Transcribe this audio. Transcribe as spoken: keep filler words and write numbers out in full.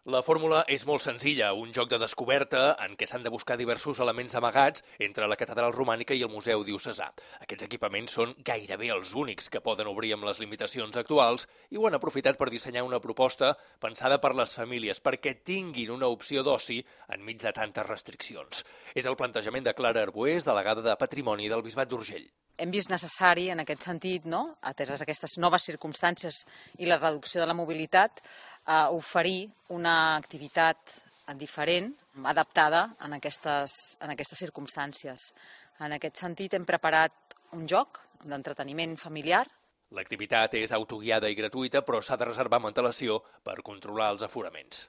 La fórmula és molt senzilla, un joc de descoberta en què s'han de buscar diversos elements amagats entre la catedral romànica i el Museu Diocesà. Aquests equipaments són gairebé els únics que poden obrir amb les limitacions actuals i ho han aprofitat per dissenyar una proposta pensada per les famílies perquè tinguin una opció d'oci enmig de tantes restriccions. És el plantejament de Clara Arbués, delegada de Patrimoni del Bisbat d'Urgell. Hem vist necessari, en aquest sentit, no, ateses aquestes noves circumstàncies i la reducció de la mobilitat, eh, oferir una activitat diferent, adaptada en aquestes, en aquestes circumstàncies. En aquest sentit, hem preparat un joc d'entreteniment familiar. L'activitat és autoguiada i gratuïta, però s'ha de reservar amb antelació per controlar els aforaments.